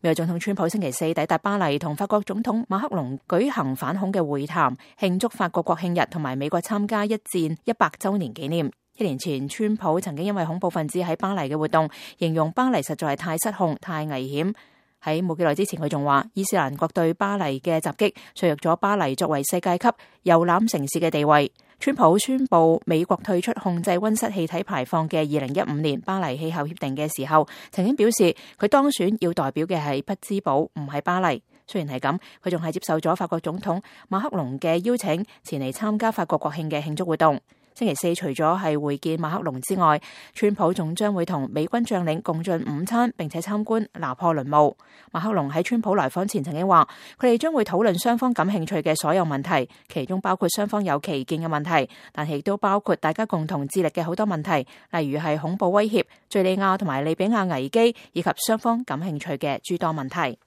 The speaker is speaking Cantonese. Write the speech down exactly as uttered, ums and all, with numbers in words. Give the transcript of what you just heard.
美國總統川普星期四抵達巴黎，同法國總統馬克龍舉行反恐嘅會談，慶祝法國國慶日同埋美國參加一戰一百周年紀念。一年前，川普曾經因為恐怖分子喺巴黎嘅活動，形容巴黎實在係太失控、太危險。喺冇幾耐之前，佢仲話伊斯蘭國對巴黎嘅襲擊削弱咗巴黎作為世界級遊覽城市嘅地位。川普宣布美國退出控制溫室氣體排放嘅二零一五年巴黎氣候協定嘅時候，曾經表示佢當選要代表嘅係匹茲堡，唔係巴黎。雖然係咁，佢仲係接受咗法國總統馬克龍嘅邀請，前嚟參加法國國慶嘅慶祝活動。星期四除咗係會見馬克龍之外，川普仲將會同美軍將領共進午餐，並且參觀拿破崙墓。馬克龍喺川普來訪前曾經話，佢哋將會討論雙方感興趣嘅所有問題，其中包括雙方有歧見嘅問題，但係亦都包括大家共同致力嘅好多問題，例如係恐怖威脅、敘利亞同埋利比亞危機，以及雙方感興趣嘅諸多問題。